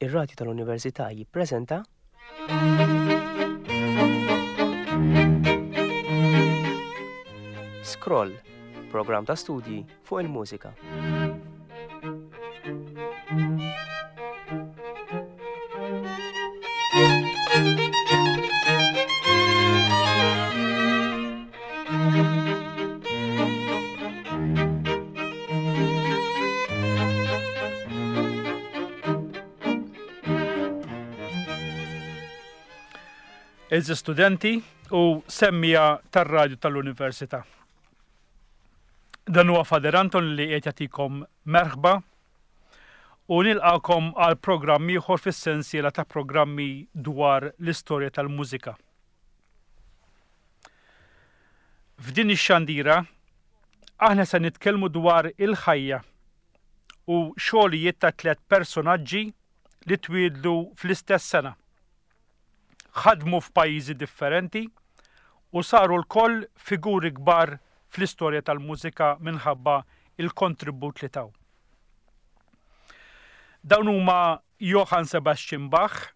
Ir-Radju tal-Università jippreżenta Scroll, programm ta' studji fuq il-mużika. Eżi studenti u semmija tar-radju tal-Università. Dan huwa Fader Anton li qed jagħtikom merħba u nilqakom għal programm ieħor fis-sensiela ta' programmi dwar l-istorja tal-mużika. F'din ix-xandira aħna se nitkellmu dwar il-ħajja u xogħlijiet ta' tlett personaġġi li twieldu fl-istess sena. Ħadmu f'pajjiżi differenti u saru lkoll figuri kbar fl-istorja tal-mużika minħabba il-kontribut li taw. Dawn huma Johann Sebastian Bach,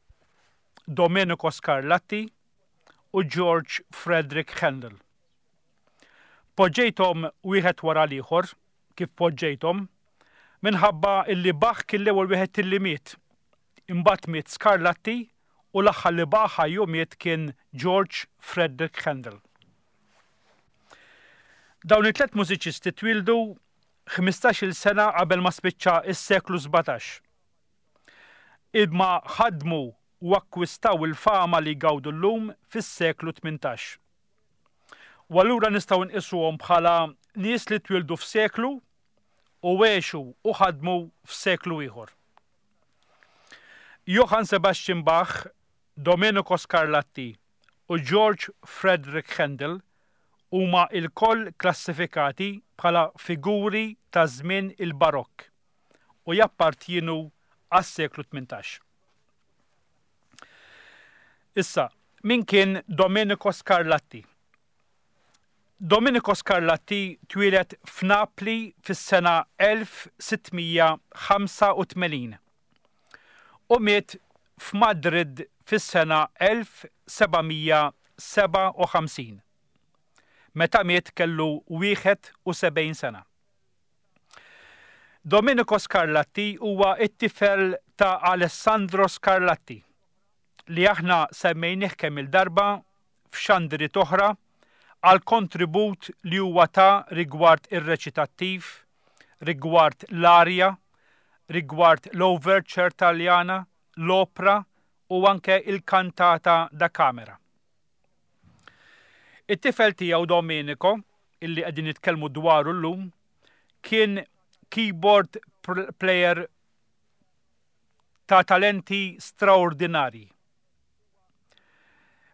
Domenico Scarlatti u George Frederick Handel. Poġġejthom wieħed wara l-ieħor, kif poġġejthom, minħabba illi Bach kien l-ewwel wieħed illi miet. Imbagħad miet Scarlatti u l-aħħar li baqa' ħaj u miet kien George Frederick Handel. Dawn it-tlet mużiċisti twieldu 15-il sena qabel ma spiċċa s-seklu 17. Imma ħadmu u akkwistaw il-fama li jgawdu llum fis-seklu 18. U allura nistgħu nqisuhom bħala nies li twieldu f'seklu u għexu u ħadmu f'seklu ieħor. Johann Sebastian Bach, Domenico Scarlatti u George Frederick Handel huma lkoll klassifikati bħala figuri ta' żmien il-Barokk u jappartjienu għas-seklu 18. Issa, min kien Domenico Scarlatti? Domenico Scarlatti twieled f'Napli fis-sena 1685 u miet f'Madrid fis-sena 1757. Meta miet kellu 71 sena. Domenico Scarlatti huwa t-tifel ta' Alessandro Scarlatti, li aħna semmejnih kemm-il darba f'xandiriet oħra għall-kontribut li huwa ta rigward ir-reċitattiv, rigward l-arja, rigward l-overture Taljana, l-opra u anke il-kantata da camera. It-tifel tiegħu Domenico, illi qegħdin nitkellmu dwaru llum, kien keyboard player ta' talenti straordinarji.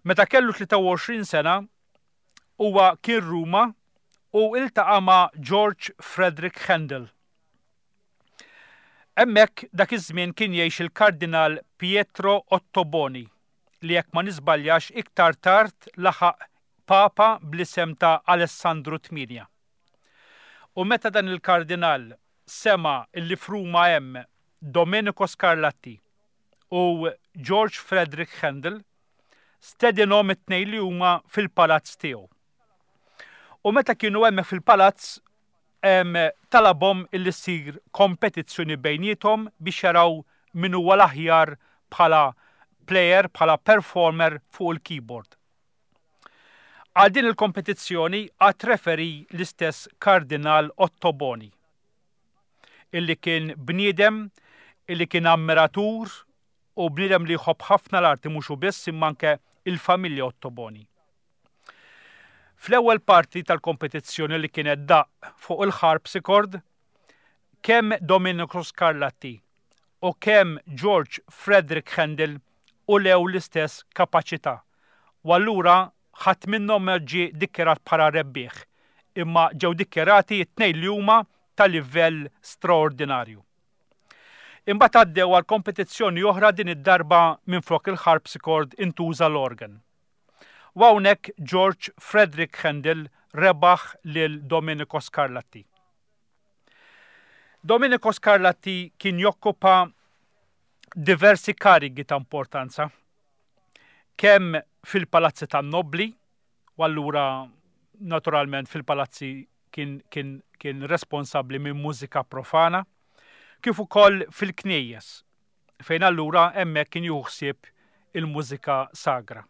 Meta kellu 23 sena, huwa kien Ruma u iltaqa' ma' George Frederick Handel. Hemmhekk dak iż-żmien kien jgħix il-Kardinal Pietro Ottoboni li jekk ma niżbaljax iktar tard laħaq Papa bl-isem ta' Alessandru 8. U meta dan il-Kardinal sema' illi f'Ruma hemm Domenico Scarlatti u George Frederick Handel, stedinhom it-tnejn li huma fil-palazz tiegħu. U meta kienu hemmhekk fil-palazz talabhom illi ssir kompetizzjoni bejniethom biex jaraw min huwa l-aħjar bħala player, bħala performer fuq il-keyboard. Għal din il-kompetizzjoni għad referee l-istess Kardinal Ottoboni, illi kien bniedem illi kien ammiratur u bniedem li jħobb ħafna l-arti mhux hu biss imma anke il-familja Ottoboni. Fl-ewwel parti tal-kompetizzjoni li kienet daqq fuq il-harpsichord, kemm Domenico Scarlatti u kemm George Frederick Handel ulew l-istess kapaċità u allura ħadd minnhom ma ġie dikjarat bħala rebbieħ imma ġew dikjarati t-tnejn li huma ta' livell straordinarju. Imbagħad għaddew għal kompetizzjoni oħra din id-darba minflok il-harpsichord intuża l-organ. U hawnhekk George Frederick Handel rebaħ lil Domenico Scarlatti. Domenico Scarlatti kien jokkupa diversi karigi ta' importanza, kemm fil-palazzi tan-nobbli, u allura naturalment fil-palazzi kien, kien, kien responsabbli minn mużika profana, kif ukoll fil-knejjes, fejn allura hemmhekk kien jieħu ħsieb il-mużika sagra.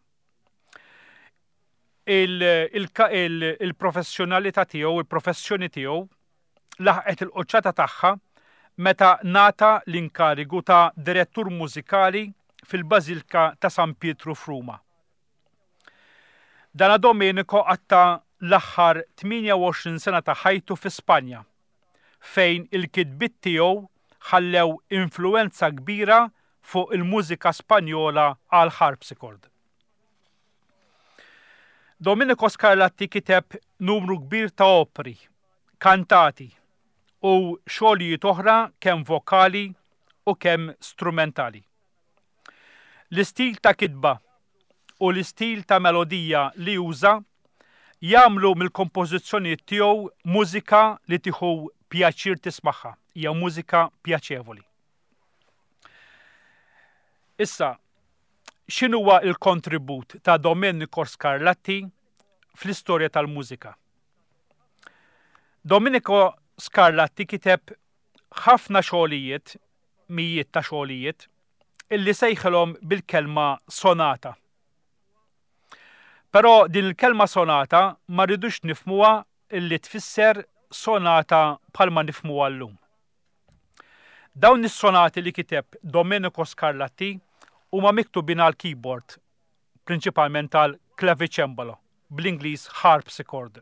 Il-professjonalità tiegħu, il-professjoni tiegħu laħqet il-quċċata tagħha meta ngħata l-inkarigu ta' direttur mużikali fil-Bażilka ta' San Pietru f'Ruma. Dana Domenico qatta' l-aħħar 28 sena ta' ħajtu fi Spanja, fejn il-kitbiet tiegħu ħallew influwenza kbira fuq il-mużika Spanjola għall-harpsichord. Domenico Scarlatti kiteb numru kbir ta' opri, kantati u xogħlijiet oħra kemm vokali u kemm strumentali. L-istil ta' kitba u l-istil ta' melodija li juża jagħmlu mill-kompożizzjonijiet tiegħu mużika li tieħu pjaċir tismagħha, hija mużika pjaċevoli. Issa, x'inhuwa l-kontribut ta' Domenico Scarlatti fl-istorja tal-mużika? Domenico Scarlatti kiteb ħafna xogħlijiet, mijiet ta' xogħlijiet, illi sejħilhom bil-kelma sonata. Però din il-kelma sonata ma rridux nifhmuha illi tfisser sonata bħalma nifhmuha llum. Dawn is-sonati li kiteb Domenico Scarlatti huma miktubin għall-keyboard, prinċipalment għal clavicembalo, bl-Ingliż harpsichord.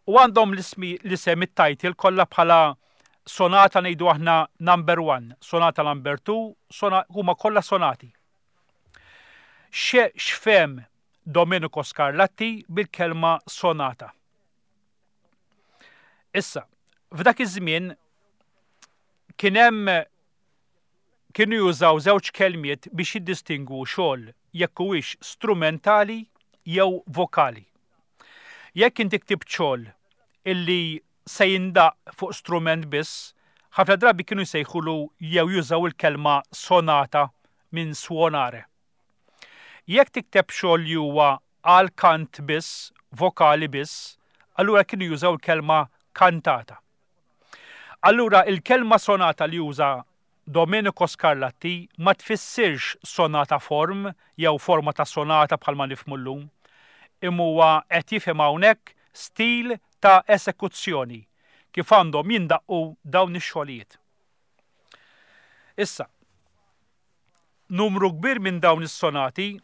U għandhom l-isem it-title kollha bħala sonata ngħidu aħna number 1, sonata number 2, huma kollha sonati. X'fehem Domenico Scarlatti bil-kelma sonata? Issa, f'dak iż-żmien kien hemm kienu jużaw żewġ kelmiet biex jiddistingwu xogħol jekk huwiex strumentali jew vokali. Jekk inti ktibt xogħol illi se jindaqq fuq strument biss, ħafna drabi kienu jsejħulu jew jużaw il-kelma sonata minn suonare. Jekk tikteb xogħol li huwa għal kant biss, vokali biss, allura kienu jużaw il-kelma kantata. Allura il-kelma sonata li juża Domenico Scarlatti ma tfissirx sonata form jew forma ta' sonata bħalma nifhmu llum, imma huwa qed jifhem hawnhekk stil ta' esekuzzjoni, kif għandhom jindaqqu dawn ix-xogħlijiet. Issa, Numru kbir minn dawn is-sonati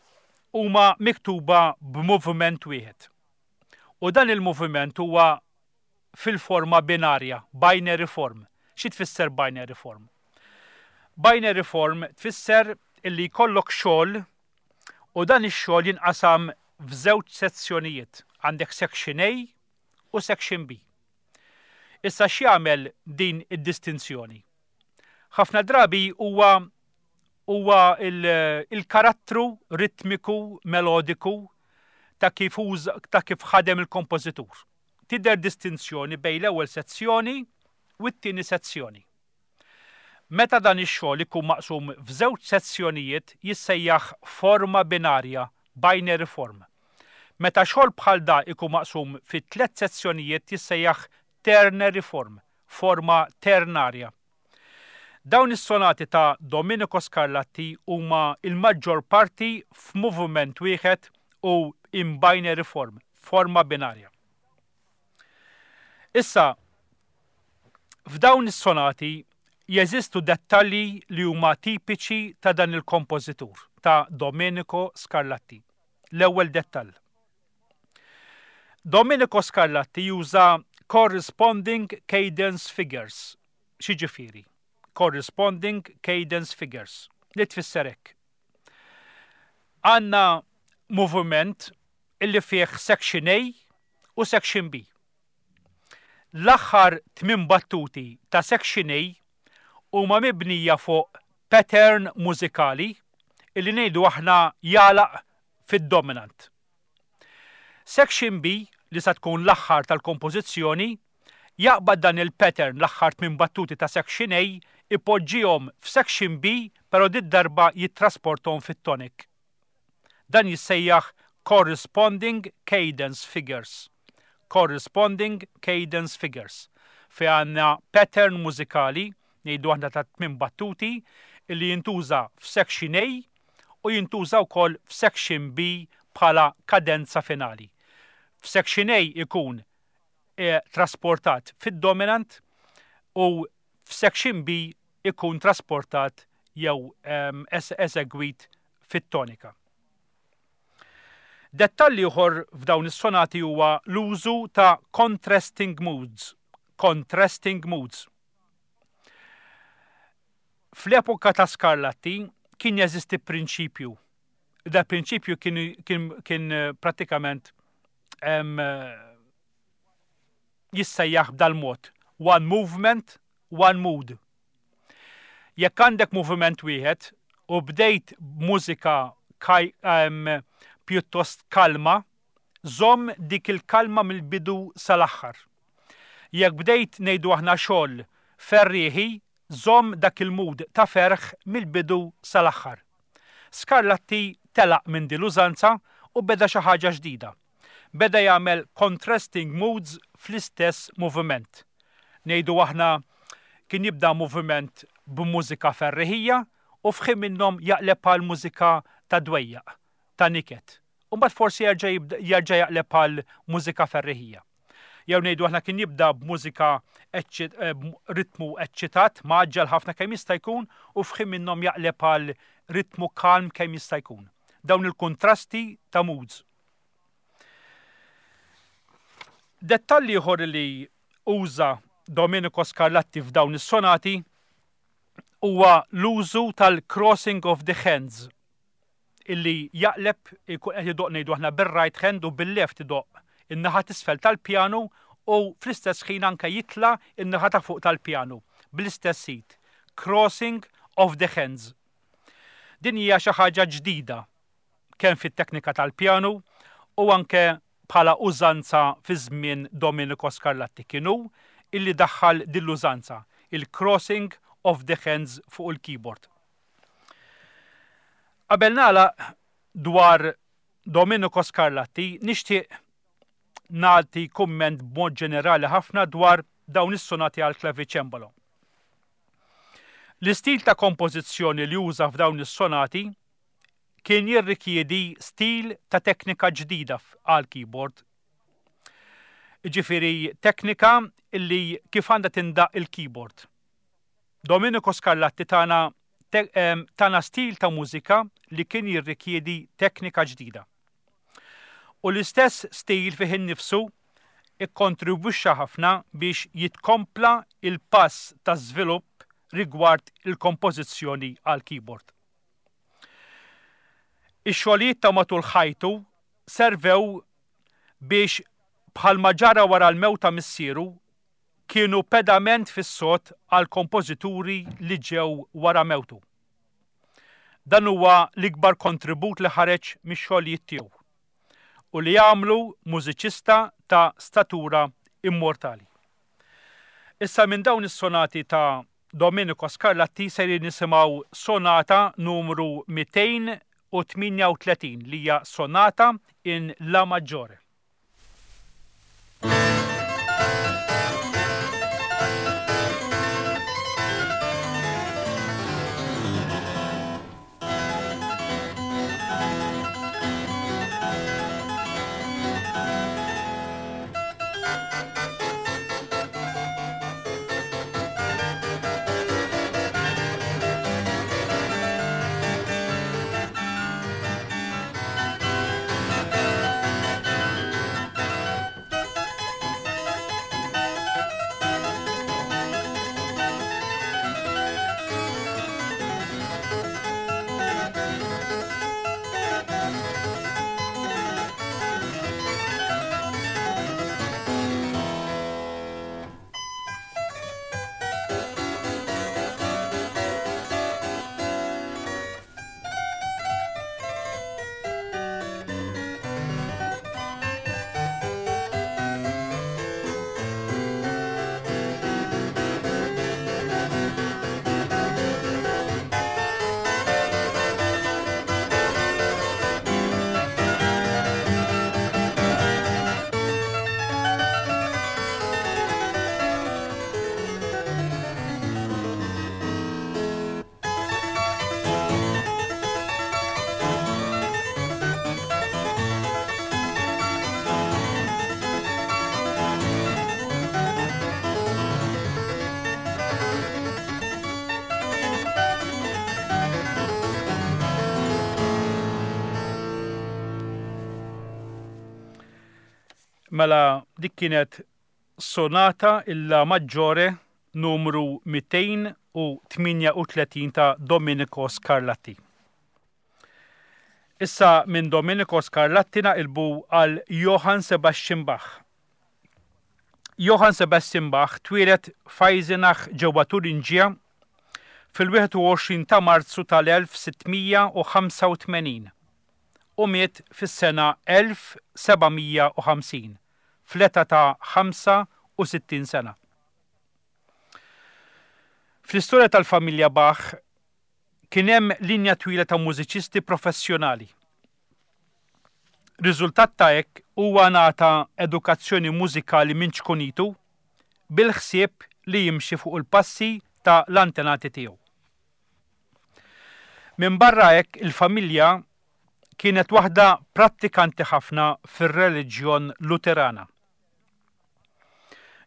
huma miktuba b'moviment wieħed. U dan il-moviment huwa fil-forma binarja, binary form. Xi tfisser binary form? Binary form tfisser illi jkollok xogħol u dan ix-xogħol jinqasam f'żewġ sezzjonijiet. Għandek section A u section B. Issa x'jagħmel din id-distinzjoni? Ħafna drabi huwa huwa il-karattru ritmiku melodiku ta' kif ta' kif ħadem il-kompożitur. Tidher distinzjoni bejn l-ewwel sezzjoni u t-tieni sezzjoni. Meta dan ix-xogħol ikun maqsum f'żewġ sezzjonijiet jissejjaħ forma binarja, binary form. Meta xogħol bħal da ikun maqsum fi tlett sezzjonijiet jissejjaħ ternary form, forma ternarja. Dawn is-sonati ta' Domenico Scarlatti huma l-maġġor parti f'moviment wieħed u in binary form, forma binarja. Issa, f'dawn is-sonati jeżistu dettalji li huma tipiċi ta' dan il-kompożitur, ta' Domenico Scarlatti. L-ewwel dettall. Domenico Scarlatti juża corresponding cadence figures. X'jiġifieri? Corresponding cadence figures. Li tfisser hekk. Għandna moviment illi fih section A u section B. L-aħħar tmien battuti ta' section A huma mibnija fuq pattern mużikali illi ngħidu aħna jagħlaq fid-dominant. Section B, li sa tkun l-aħħar tal-kompożizzjoni, Jaqbad dan il-pattern l-aħħar tminn battuti ta' section A, ipoġġihom f'section B però did-darba jittrasporthom fit-tonic. Dan jissejjaħ corresponding cadence figures. Corresponding cadence figures. Fejn għandna pattern mużikali, ngħidu aħna ta' tminn battuti, illi jintuża f'section A u jintuża wkoll f'section B bħala kadenza finali. F'section A ikun trasportat fid-dominant u f'section B ikun trasportat jew eżegwit fit-tonika. Dettall ieħor f'dawn is-sonati huwa l-użu ta' contrasting moods. Contrasting moods. Fl-epoka ta' Scarlatti kien jeżisti prinċipju. Da prinċipju kien, kien, kien prattikament jissejjaħ b'dal-mod. One movement, one mood. Jekk għandek moviment wieħed u bdejt b'mużika pjuttost kalma, żomm dik il-kalma mill-bidu sal-aħħar. Jekk bdejt ngħidu aħna xogħol ferrieħi, żomm dak il-mood ta' ferħ mill-bidu sal-aħħar. Scarlatti telaq minn din l-użanza u beda xi ħaġa ġdida. Beda jagħmel contrasting moods fl-istess moviment. Ngħidu aħna kien jibda moviment b'mużika ferriħija u f'ħin minnhom jaqleb għal mużika ta' dwejjaq, ta' niket. U mbagħad forsi jerġa' jerġa' jaqleb għal mużika ferriħija. Jew ngħidu aħna kien jibda b'mużika ritmu eċċitat, mgħaġġel ħafna kemm jista' jkun u f'ħin minnhom jaqleb għal ritmu kalm kemm jista' jkun. Dawn il-kuntrasti ta' moods. Dettall ieħor li uża Domenico Scarlatti f'dawn is-sonati huwa l-użu tal-crossing of the hands illi jaqleb ikun qed idoqq ngħidu aħna bir-right hand u bil-left idoqq in-naħa t'isfel tal-pjanu u fl-istess ħin anke jitla' n-naħa ta' fuq tal-pjanu bl-istess id. Crossing of the hands. Din hija xi ħaġa ġdida kemm fit-teknika tal-pjanu u anke bħala użanza fi żmien Domenico Scarlatti. Kien hu illi daħħal din l-użanza, il-crossing of the hands fuq il-keyboard. Qabel nagħlaq dwar Domenico Scarlatti nixtieq nagħti kumment b'mod ġenerali ħafna dwar dawn is-sonati għall-klaviċembalo. L-istil ta' kompożizzjoni li uża f'dawn is-sonati kien jirrikjedi stil ta' teknika ġdida għall-keyboard. Jiġifieri teknika li kif għandha tindaqq il-keyboard. Domenico Scarlatti tana tana stil ta' mużika li kien jirrikjedi teknika ġdida. U l-istess stil fih innifsu ikkontribwixxa ħafna biex jitkompla l-pass ta' żvilupp rigward il-kompożizzjoni għall-keyboard. Ix-xogħlijiet ta' matul ħajtu servew biex bħalma ġara wara l-mewt ta' missieru, kienu pedament fis-sod għall-kompożituri li ġew wara mewtu. Dan huwa l-ikbar kontribut li ħareġ mix-xogħlijiet tiegħu u li għamlu mużiċista ta' statura immortali. Issa minn dawn is-sonati ta' Domenico Scarlatti sejrin nisimgħu sonata numru 238 li hija sonata in La maggiore. Mela dik kienet Sonata in La Maggiore numru 238 ta' Domenico Scarlatti. Issa minn Domenico Scarlatti naqilbu għal Johann Sebastian Bach. Johann Sebastian Bach twieled f'Eisenach ġewwa Turingia fil-21 ta' Marzu tal-1685 u miet fis-sena 1750 fl-età ta' 65 sena. Fl-istorja tal-familja Bach kien hemm linja twila ta' mużiċisti professjonali. Riżultat ta' hekk huwa ngħata edukazzjoni mużikali minn ċkunitu bil-ħsieb li jimxi fuq il-passi ta' l-antenati tiegħu. Minbarra hekk il-familja kienet waħda prattikanti ħafna fir-reliġjon Luterana.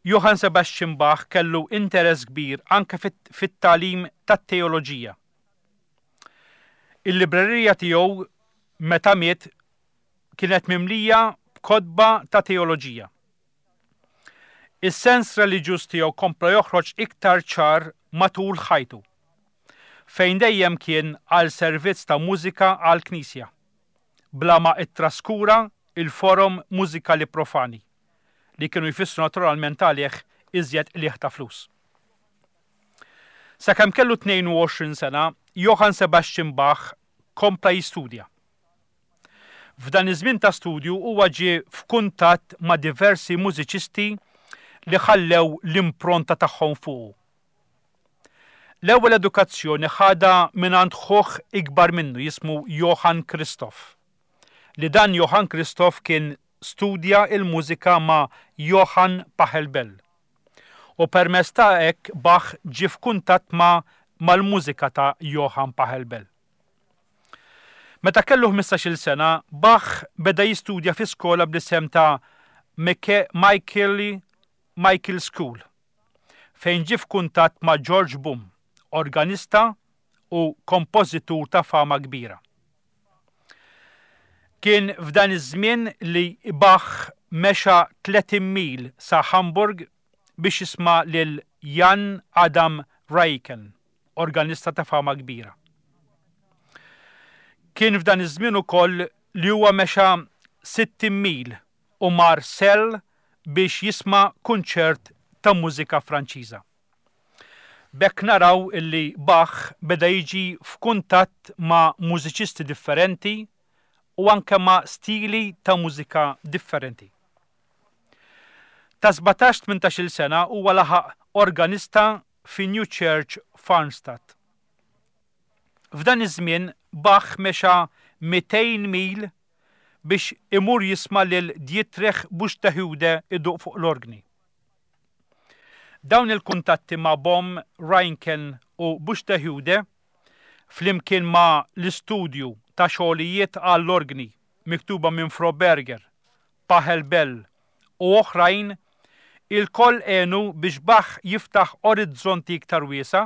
Johann Sebastian Bach kellu interess kbir anke fit-tagħlim tat-teoloġija. Il-librerija tiegħu meta miet kienet mimlija b'kotba ta' teoloġija. Is-sens reliġjuż tiegħu kompla joħroġ iktar ċar matul ħajtu, fejn dejjem kien għal servizz ta' mużika għall-knisja, bla ma ttraskura l-forom mużikali profani, li kienu jfissru naturalment għalih iżjed qligħ ta' flus. Sakemm kellu 22 sena, Johann Sebastian Bach kompla jistudja. F'dan iż-żmien ta' studju huwa ġie f'kuntatt ma' diversi mużiċisti li ħallew l-impronta tagħhom fuqu. L-ewwel edukazzjoni ħadha mingħand ħuh ikbar minnu jismu Johann Christoph, li dan Johann Christoph kien studja l-mużika ma' Johann Pachelbel u permezz ta' hekk Bach ġie f'kuntatt ma' mal-mużika ta' Johann Pachelbel. Meta kellu ħmistax-il sena, Bach beda jistudja fi skola bl-isem ta' Michaeli Michael School, fejn ġie f'kuntatt ma' George Bohm, organista u kompożitur ta' fama kbira. Kien f'dan iż-żmien li Bach mexa 30 mil sa Hamburg biex jisma' lil Jan Adam Raiken. organista ta' fama kbira. Kien f'dan iż-żmien ukoll li huwa mexa 60 mil u mar Celle biex jisma' kunċert ta' mużika Franċiża. B'hekk naraw illi Bach beda jiġi f'kuntatt ma' mużiċisti differenti u anke ma' stili ta' mużika differenti. Ta' sbatax tmintax-il sena huwa laħaq organista fi New Church f'Arnstadt. F'dan iż-żmien Bach mexa 200 mil biex imur jisma' lil Dietrich Buxtehude iduq fuq l-orgni. Dawn il-kuntatti ma' Bohm, Reinken u Buxtehude, flimkien ma' l-istudju ta' xogħlijiet għall-orgni miktuba minn Froberger, Pachelbel u oħrajn ilkoll għenu biex Bach jiftaħ orizzonti iktar wiesgħa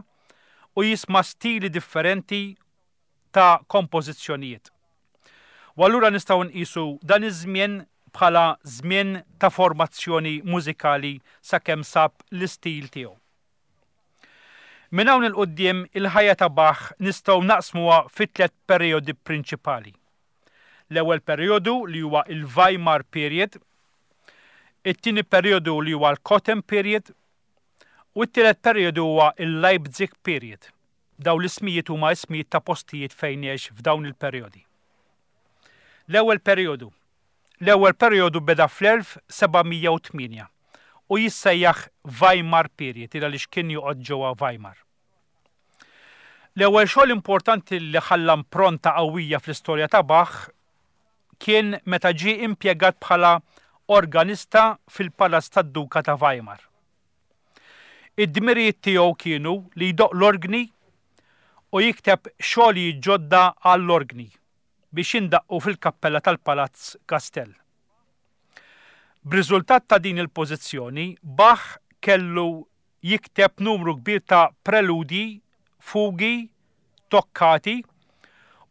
u jisma' stili differenti ta' kompożizzjonijiet. U allura nistgħu nqisu dan iż-żmien bħala żmien ta' formazzjoni mużikali sakemm sab l-istil tiegħu. Minn hawn 'il quddiem il-ħajja ta' Bach nistgħu naqsmuha fi tliet perijodi prinċipali. L-ewwel perijodu li huwa il-Weimar Period, it-tieni perijodu li huwa l-Cotton Period u t-tielet perijodu huwa il-Leipzig Period. Dawn l-ismijiet huma ismijiet ta' postijiet fejn għex f'dawn il-perijodi. L-ewwel perijodu. L-ewwel perijodu beda fl-1708 u jissejjaħ Weimar Period il għaliex kien joqgħod ġewwa Weimar. L-ewwel xogħol importanti li ħalla impronta qawwija fl-istorja ta' Bach kien meta ġie impjegat bħala organista fil-palazz tad-Duka ta' Weimar. Id-dmirijiet tiegħu kienu li jdoqq l-orgni u jikteb xogħlijiet ġodda għall-orgni biex jindaqqu fil-kappella tal-Palazz Kastell. B'riżultat ta' din il-pożizzjoni, Bach kellu jikteb numru kbir ta' preludji, fugi, toccati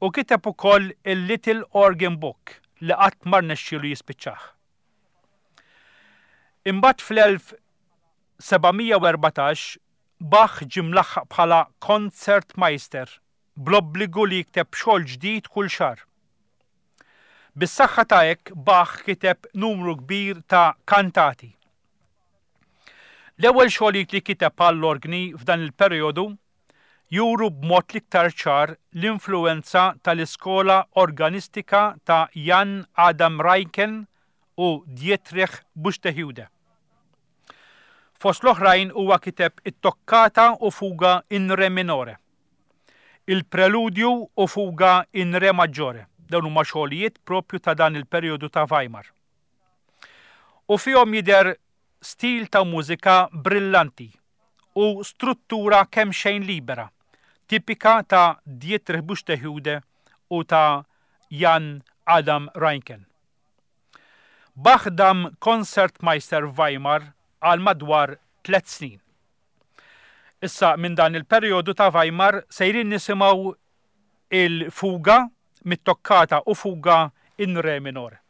u kiteb ukoll il-Little Organ Book li qatt ma rnexxielu jispiċċah. Imbagħad fl-1714 Bach ġie mlaħħaq bħala Konzertmeister bl-obbligu li jikteb xogħol ġdid kull xahar. Bis-saħħa ta' hekk Bach kiteb numru kbir ta' kantati. L-ewwel xogħlijiet li kiteb għall-orgni f'dan il-perijodu juru b'mod l-iktar ċar l-influwenza tal-iskola organistika ta' Jan Adam Reinken u Dietrich Buxtehude. Fost l-oħrajn huwa kiteb it-Toccata u Fuga in Re minore, il-Preludju u Fuga in Re maggiore, dawn huma xogħlijiet proprju ta' dan il-perijodu ta' Weimar. U fihom jidher stil ta' mużika brillanti u struttura kemxejn libera, tipika ta' Dietrich Buxtehude u ta' Jan Adam Reinken. Bach dam Konzertmeister f'Weimar għal madwar tlett snin. Issa minn dan il-perijodu ta' Weimar sejrin nisimgħu il-Fuga mit-Toccata u Fuga in Re minore.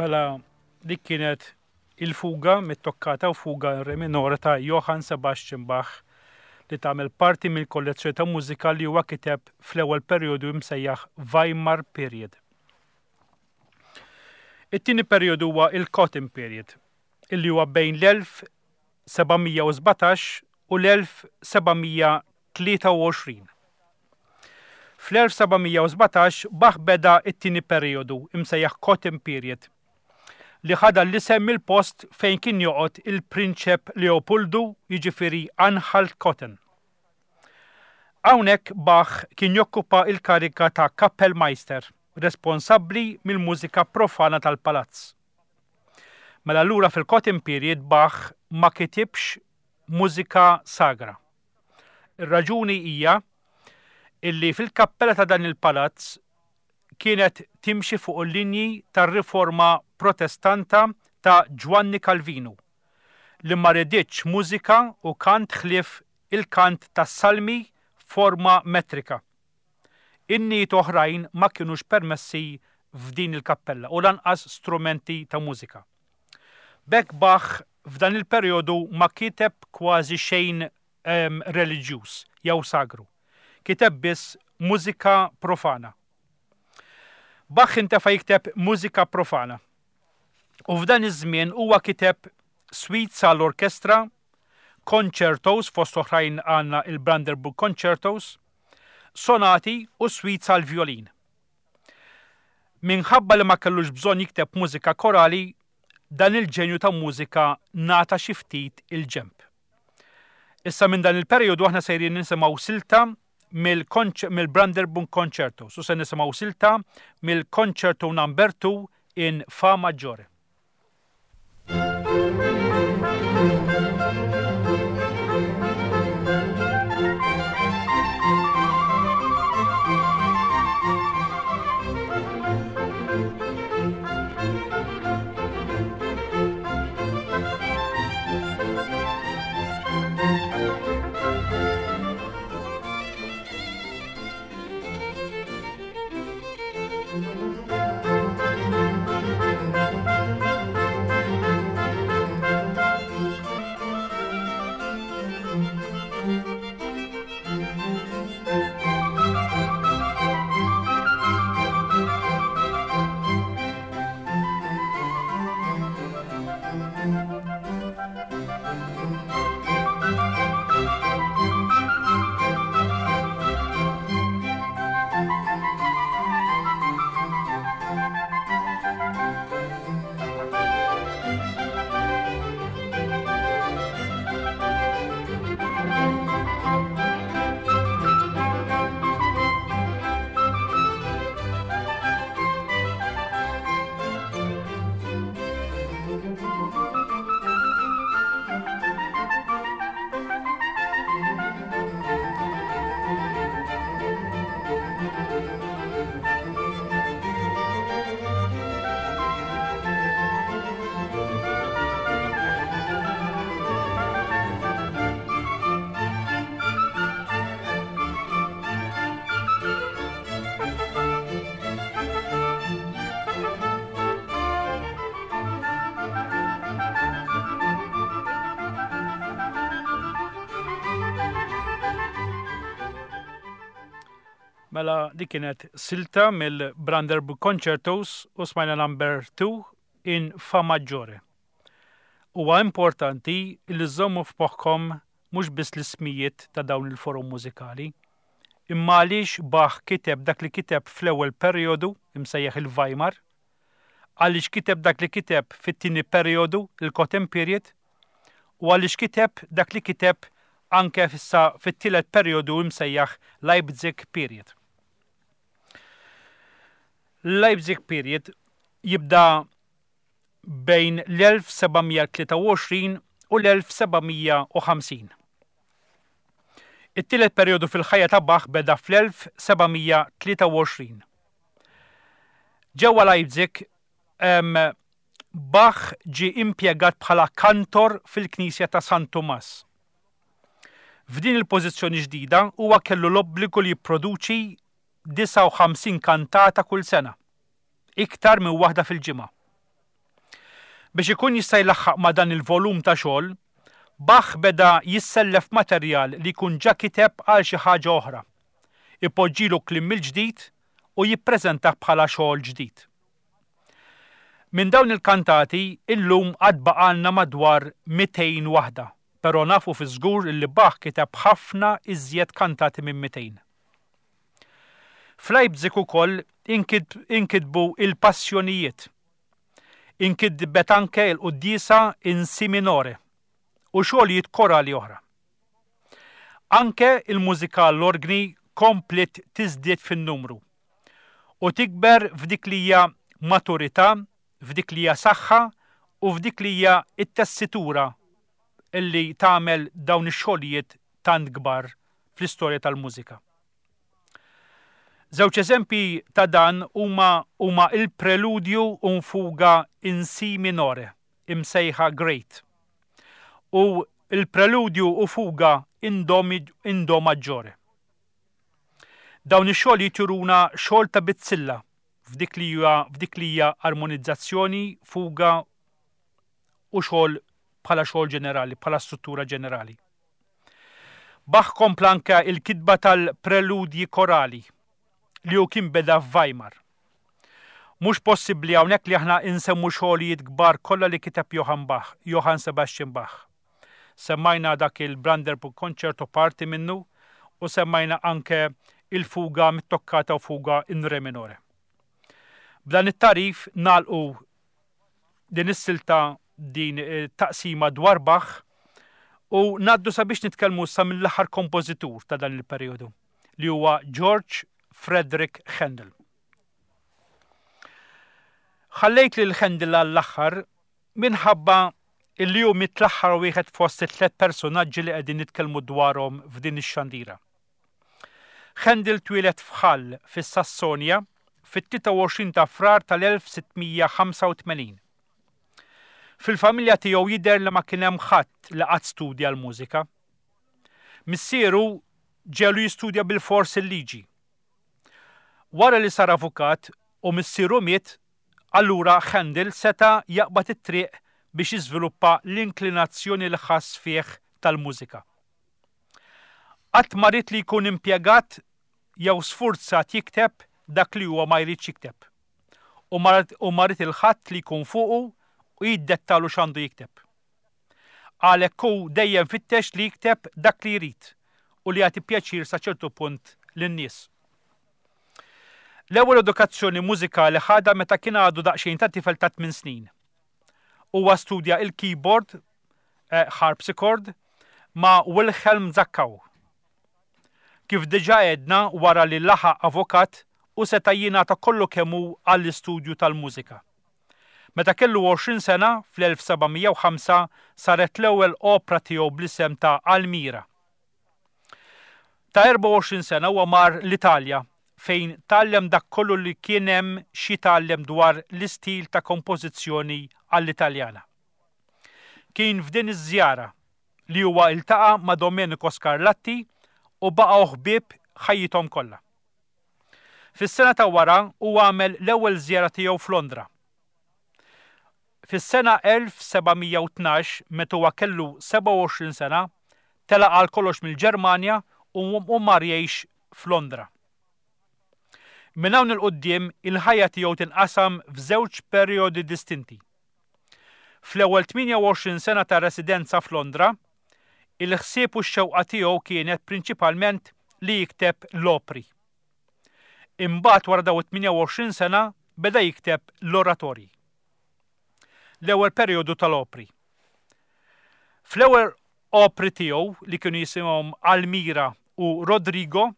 Mela dik kienet il-fuga mit-toccata u fuga in re minore ta' Johann Sebastian Bach li tagħmel parti mill-kollezzjoni ta' mużika li huwa kiteb fl-ewwel perjodu imsejjaħ Weimar Period. It-tieni perjodu huwa il-Cotton Period, illi huwa bejn l-1717 u l-1723. Fl-1717 Bach beda t-tieni perijodu, imsejjaħ Cotton Period, li ħa dan l-isem mill-post fejn kien joqgħod il-Prinċep Leopoldu, jiġifieri Anhalt-Köthen. Hawnhekk Bach kien jokkupa l-kariga ta' Kapellmeister, responsabbli mill-mużika profana tal-palazz. Mela allura fil-Cotton Period Bach ma kitibx mużika sagra. Ir-raġuni hija illi fil-kappella ta' dan il-palazz kienet timxi fuq il-linji tar-Riforma Protestanta ta' Ġwanni Kalvinu, li ma riditx mużika u kant ħlief il-kant tas-salmi f'forma metrika. Innijiet oħrajn ma kinux permessi f'din il-kappella u lanqas strumenti ta' mużika. B'hekk Bach f'dan il-perjodu ma kiteb kważi xejn reliġjuż jew sagru. Kiteb biss mużika profana. Bach intefa' jikteb mużika profana. U f'dan iż-żmien huwa kiteb suites għall-orkestra, concertos fost oħrajn għandna il-Brandenburg Concertos, sonati u suites għall-vjolin. Minħabba li ma kellux bżonn jikteb mużika korali, dan il-ġenju ta' mużika ngħata xi ftit il-ġenb. Issa minn dan il-perjodu aħna sejrin nisimgħu silta mill-Brandenburg Concerto, u se nisimgħu silta mill-Concerto Number 2 in Fa Maggiore. Mela dik kienet silta mill-Brandenburg Concertos u smajna number 2 in Fa Maggiore. Huwa importanti li żommu f'moħħkom mhux biss l-ismijiet ta' dawn il-forom mużikali, imma għaliex Bach kiteb dak li kiteb fl-ewwel perijodu, imsejjaħ il-Weimar, għaliex kiteb dak li kiteb fit-tieni perijodu, il-Cotton Period, u għaliex kiteb dak li kiteb anke issa fit-tielet perijodu imsejjaħ Leipzig Period. Leipzig Period jibda bejn l-1723 u l-1750. It-tielet perjodu fil-ħajja ta' Bach beda fl-1723. Ġewwa Leipzig, Bach ġie impjegat bħala kantor fil-knisja ta' San Tumas. F'din il-pożizzjoni ġdida huwa kellu l-obbligu li jipproduċi 59 kantata kull sena, iktar minn waħda fil-ġimgħa. Biex ikun jista' jlaħħaq ma' dan il-volum ta' xogħol, Bach beda jissellef materjal li jkun ġa kiteb għal xi ħaġa oħra, ipoġġilu kliem mill-ġdid u jippreżentah bħala xogħol ġdid. Minn dawn il-kantati illum għad baqgħalna madwar 200 waħda, però nafu fiż-żgur illi Bach kiteb ħafna iżjed kantati minn 200. F'Leipzig ukoll inkitbu il-Passjonijiet. Inkitbet anke il-Quddiesa in Si minore u xogħlijiet korali oħra. Anke il-mużika għall-orgni kompliet tiżdied fin-numru u tikber f'dik li hija maturità, f'dik li hija saħħa u f'dik li hija t-tessitura li tagħmel dawn ix-xogħlijiet tant kbar fl-istorja tal-mużika. Żewġ eżempji ta' dan huma huma il-Preludju u Fuga in Si minore, imsejħa Great, u l-Preludju u Fuga in Do, in Do maggiore. Dawn ix-xogħlijiet juruna xogħol ta' bizzilla f'dik li hija f'dik li hija armonizzazzjoni, fuga u xogħol bħala xogħol ġenerali, bħala struttura ġenerali. Bach kompla anke il-kitba tal-preludji korali li hu kien beda f'Weimar. Mhux possibbli hawnhekk li aħna insemmu xogħlijiet kbar kollha li kiteb Johann Bach, Johann Sebastian Bach. Semmajna dak il-Brandenburg Concerto parti minnu u semmajna anke il-fuga mit-toccata u fuga in re minore. B'dan it-tagħrif nagħlqu din is-silta din taqsima dwar Bach u ngħaddu sabiex nitkellmu issa mill-aħħar kompożitur ta' dan il-perjodu li huwa George Frederick Handel. Ħallejt lil Handel għall-aħħar minħabba illi hu miet l-aħħar wieħed fost it-tlet personaġġi li qegħdin nitkellmu dwarhom f'din ix-xandira. Handel twieled f'Hall fis-Sassonja fit-23 ta' Frar tal-1685. Fil-familja tiegħu jidher li ma kien hemm ħadd li qatt studja l-mużika. Missieru ġegħlu jistudja bilfors il-liġi. Wara li sar avukat u missieru miet, Allura Handel seta' jaqbad it-triq biex jiżviluppa l-inklinazzjoni li ħass fih tal-mużika. Qatt ma ried li jkun impjegat jew sfurzat jikteb dak li huwa ma jridx jikteb. U ma ried 'il ħadd li jkun fuqu u jiddettalu x'għandu jikteb. Għalhekk hu dejjem fittex li jikteb dak li jrid u li jagħti pjaċir sa ċertu punt lin-nies. L-ewwel edukazzjoni mużikali ħadha meta kien għadu daqsxejn ta' tifel ta' tminn snin. Huwa studja il-keyboard, eh, harpsichord, ma' Wilhelm Zackau. Kif diġà għedna wara li laħaq avukat u seta' jingħata kollu kemm hu għall-istudju tal-mużika. Meta kellu 20 sena, fl-1705 saret l-ewwel opra tiegħu bl-isem ta' Almira. Ta' 24 sena huwa mar l-Italja fejn tgħallem dak kollu li kien hemm x'jitgħallem dwar l-istil ta' kompożizzjoni għall-Italjana. Kien f'din iż-żjara li huwa iltaqa' ma' Domenico Scarlatti u baqgħu ħbieb ħajjithom kollha. Fis-sena ta' wara huwa għamel l-ewwel żjara tiegħu f'Londra. Fis-sena 1712, meta huwa kellu 27 sena, telaq għal kollox mill-Ġermanja u mar jgħix f'Londra. Minn hawn 'il quddiem il-ħajja tiegħu tinqasam f'żewġ perjodi distinti. Fl-ewwel 28 sena ta' residenza f'Londra, il-ħsieb u x-xewqa tiegħu kienet prinċipalment li jikteb l-opri. Imbagħad wara dawn it-28 sena beda jikteb l-oratorji. L-ewwel perjodu tal-opri. Fl-ewwel opri tiegħu li kienu jisimhom Almira u Rodrigo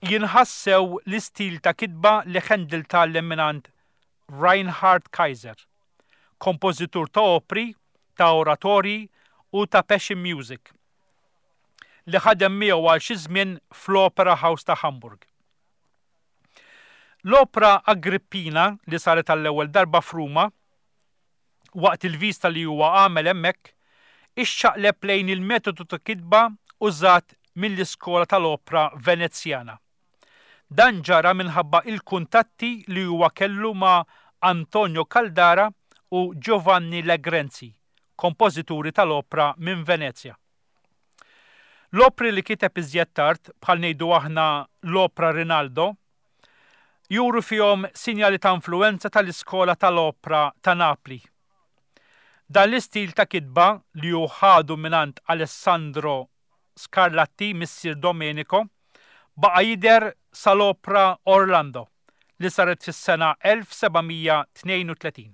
jinħassew l-istil ta' kitba li Handel tgħallem mingħand Reinhard Kaiser, kompożitur ta' opri, ta' oratorji u ta' passion music, li ħadem miegħu għal xi żmien fl-Opera House ta' Hamburg. L-opra Agrippina li saret għall-ewwel darba f'Ruma waqt il-vista li huwa għamel hemmhekk ixxaqleb lejn il-metodu ta' kitba użat mill-iskola tal-opra Venezjana. Dan ġara minħabba il-kuntatti li huwa kellu ma' Antonio Caldara u Giovanni Legrenzi, kompożituri tal-opra minn Venezja. L-opri li kiteb iżjed tard, bħal ngħidu aħna l-opra Rinaldo, juru fihom sinjali ta' influwenza tal-iskola tal-opra ta' Napli. Dan l-istil ta' kitba li hu ħadu mingħand Alessandro Scarlatti, missier Domenico, baqa' jidher sal-opra Orlando li saret fis-sena 1732.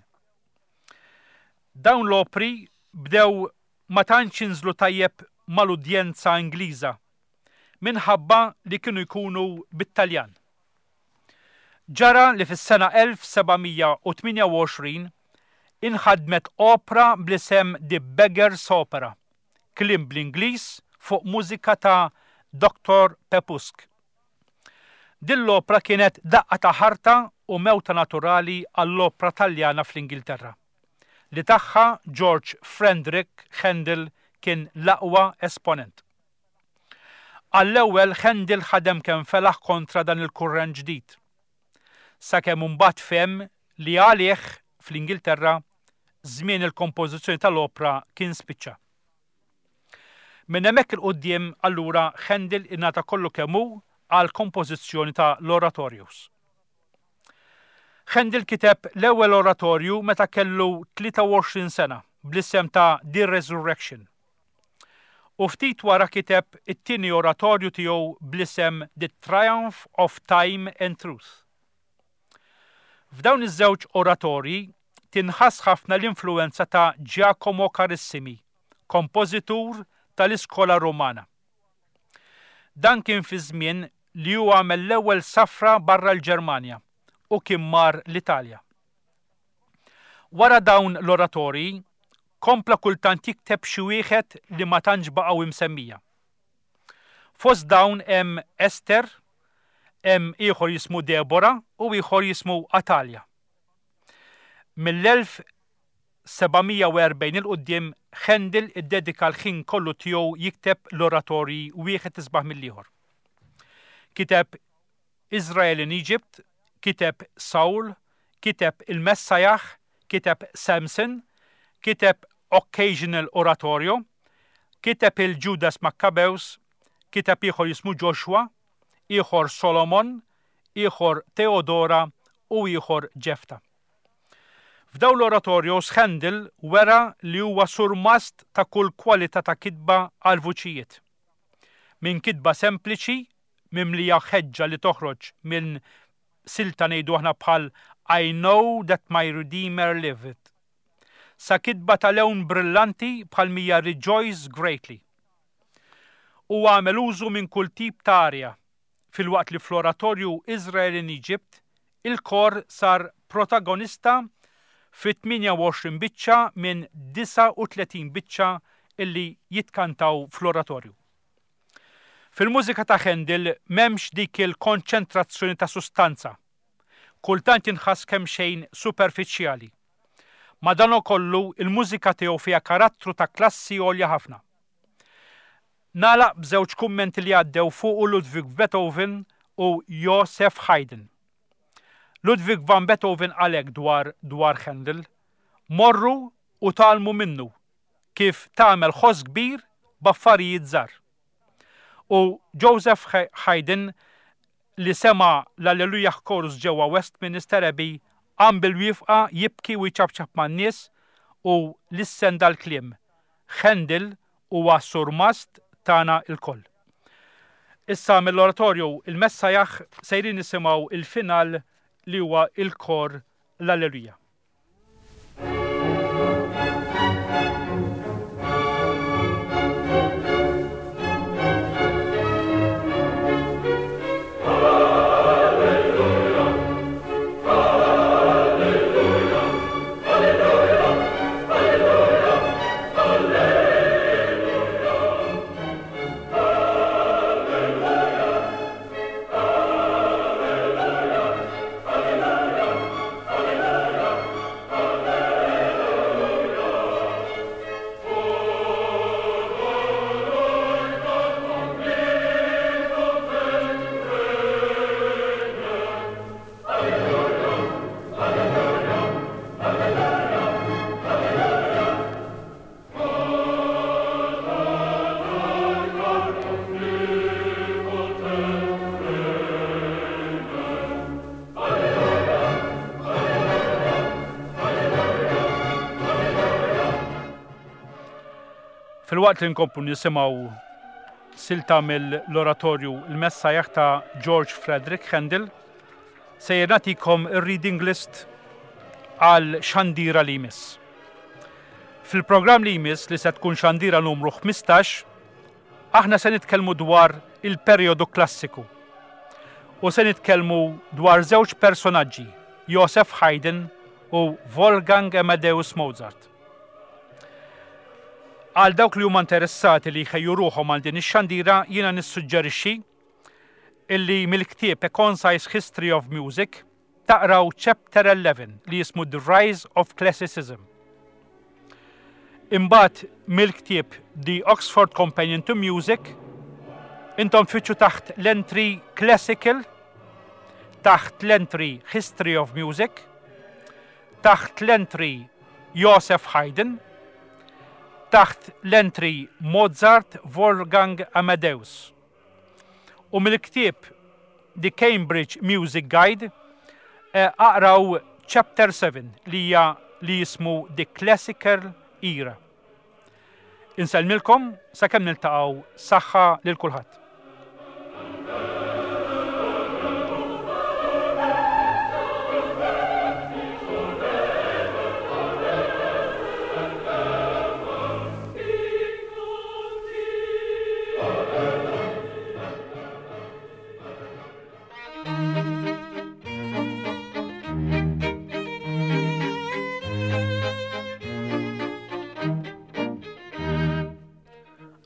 Dawn l-opri bdew ma tantx jinżlu tajjeb mal-udjenza Ingliża minħabba li kienu jkunu bit-Taljan. Ġara li fis-sena 1728 inħadmet opra bl-isem The Beggar's Opera, kliem bl-Ingliż fuq mużika ta' Doctor Pepusk. Din l-opra kienet daqqa ta' ħarta u mewta naturali għall-opra Taljana fl-Ingilterra, li tagħha George Frendrick Handel kien l-aqwa esponent. Għall-ewwel Handel ħadem kemm felaħ kontra dan il-kurrent ġdid. Sakemm imbagħad fehem li għalih, fl-Ingilterra, żmien il-kompożizzjoni tal-opra kien spiċċa. Minn hemmhekk 'il quddiem allura Handel ingħata kollu kemm hu għall-kompożizzjoni ta' l-oratorios. Handel kiteb l-ewwel oratorju meta kellu 23 sena bl-isem ta' The Resurrection. U ftit wara kiteb it-tieni oratorju tiegħu bl-isem The Triumph of Time and Truth. F'dawn iż-żewġ oratorji tinħass ħafna l-influwenza ta' Giacomo Carissimi, kompożitur tal-iskola Rumana. Dan kien fi żmien li hu għamel l-ewwel safra barra l-Ġermanja u kien mar l-Italja. Wara dawn l-oratorji, kompla kultant jikteb xi wieħed li ma tantx baqgħu imsemmija. Fost dawn hemm Ester, hemm ieħor jismu Debora u ieħor jismu Atalja. Mill-1740 'il quddiem Handel iddedika l-ħin kollu tiegħu jikteb l-oratorji wieħed isbaħ mill-ieħor. Kiteb Israel in Egypt, kiteb Saul, kiteb Il-Messajah, kiteb Samson, kiteb Occasional Oratorio, kiteb il-Judas Maccabeus, kiteb ieħor jismu Joshua, ieħor Solomon, ieħor Theodora u ieħor Ġefta. F'dawn l-oratorios Handel wera li huwa surmast ta' kull kwalità ta' kitba għall-vuċijiet. Minn kitba sempliċi, mimlija ħeġġa li toħroġ minn silta ngħidu aħna bħal I know that my Redeemer liveth, sa kitba ta' lewn brillanti bħal m'hija Rejoice Greatly. Huwa għamel użu minn kull tip ta' arja, filwaqt li fl-oratorju Israel in Egypt il-kor sar protagonista fi 28 biċċa minn 39 biċċa illi jitkantaw fl-oratorju. Fil-mużika ta' Handel m'hemmx dik il-konċentrazzjoni ta' sustanza. Kultant jinħass kemxejn superfiċjali. Madankollu, il-mużika tiegħu fiha karattru ta' klassi għolja ħafna. Nagħlaq b'żewġ kummenti li għaddew fuqu Ludwig Beethoven u Joseph Haydn. Ludwig van Beethoven qal hekk dwar dwar Handel, Morru u tgħallmu minnu kif tagħmel ħoss kbir b'affarijiet żgħar. U Joseph Haydn li sema' l-Alleluia Chorus ġewwa Westminster Abbey qam bil-wifqa jibki u jċapċap man-nies u lissen dal-kliem, Handel huwa surmast tagħna lkoll. Issa mill-oratorju Il-Messajah sejrin nisimgħu il-final li huwa il-kor l-Alleluia. Filwaqt li nkomplu nisimgħu silta mill-oratorju Il-Messiah ta' George Frederick Handel, sejjer nagħtikom ir-reading list għal xandira li jmiss. Fil-programm li jmiss li se tkun xandira numru 15, aħna se nitkellmu dwar il-perjodu klassiku u se nitkellmu dwar żewġ personaġġi, Joseph Haydn u Wolfgang Amadeus Mozart. Għal dawk li huma interessati li jħejju ruħhom għal din ix-xandira jiena nissuġġerixxi illi mill-ktieb A Concise History of Music taqraw Chapter 11 li jismu The Rise of Classicism. Imbagħad mill-ktieb The Oxford Companion to Music intom tfittxu taħt l-entry Classical, taħt l-entry History of Music, taħt l-entry Joseph Haydn, taħt l-entry Mozart Wolfgang Amadeus. U mill-ktieb The Cambridge Music Guide eh, aqraw Chapter 7 li hija li jismu The Classical Era. Insellmilkom sakemm niltaqgħu saħħa lil kulħadd.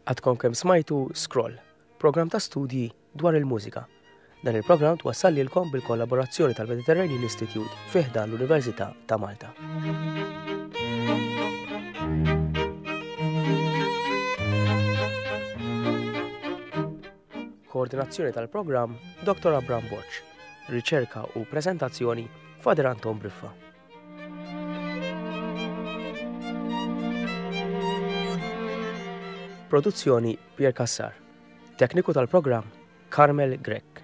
Għadkom kemm smajtu Scroll, programm ta' studji dwar il-mużika. Dan il-programm twassal lilkom bil-kollaborazzjoni tal-Mediterranean Institute fi ħdan l-Università ta' Malta. Koordinazzjoni tal-programm Dr. Abram Borg. Riċerka u preżentazzjoni Father Anton Briffa. Produzzjoni Pier Cassar. Tekniku tal-programm Carmel Grech.